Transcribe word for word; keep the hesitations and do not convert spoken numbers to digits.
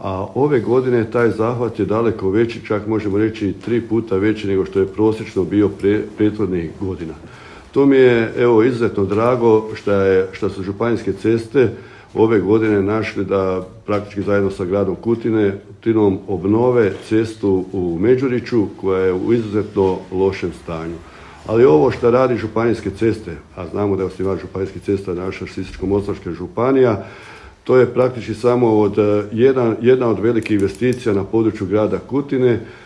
a ove godine taj zahvat je daleko veći, čak možemo reći i tri puta veći nego što je prosječno bio pre, prethodnih godina. To mi je evo izuzetno drago što, je, što su županijske ceste ove godine našli da praktički zajedno sa gradom Kutine, Kutinom obnove cestu u Međuriću koja je u izuzetno lošem stanju. Ali ovo što radi županijske ceste, a znamo da je osnivač županijskih cesta naša Sisačko-moslavačka županija, to je praktički samo od, jedan, jedna od velikih investicija na području grada Kutine